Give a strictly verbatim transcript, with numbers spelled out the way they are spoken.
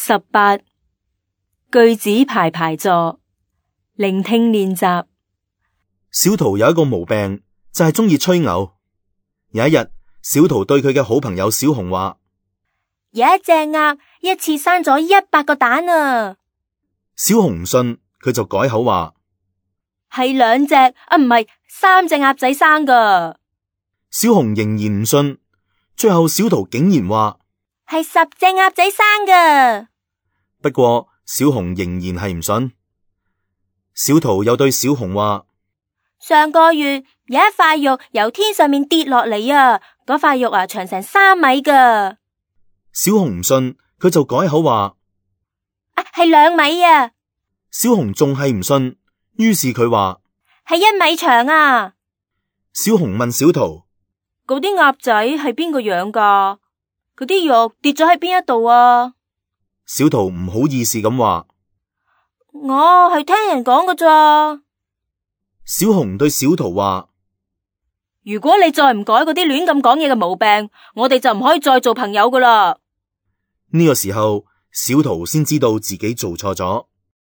十八，句子排排坐，聆聽練習。小桃有一個毛病，就係中意吹牛。有一日，小桃對佢嘅好朋友小紅話：有一隻鴨一次生咗一百個蛋啊！小紅唔信，佢就改口話：係兩隻啊，唔係三隻鴨仔生噶。小紅仍然唔信，最後小桃竟然話：係十隻鴨仔生噶。不過小紅仍然係唔信。小桃又對小紅話：上個月有一塊肉由天上面跌落嚟啊，嗰塊肉啊長成三米噶。小紅唔信，佢就改口話：啊，係兩米啊。小紅仲係唔信，於是佢話：係一米長啊。小紅問小桃：嗰啲鴨仔係邊個養噶？嗰啲肉跌咗喺邊一度啊？小桃唔好意思咁話：我係聽人講噶咋。小紅對小桃話：如果你再唔改嗰啲亂咁講嘢嘅毛病，我哋就唔可以再做朋友噶啦。呢個時候，小桃先知道自己做錯咗。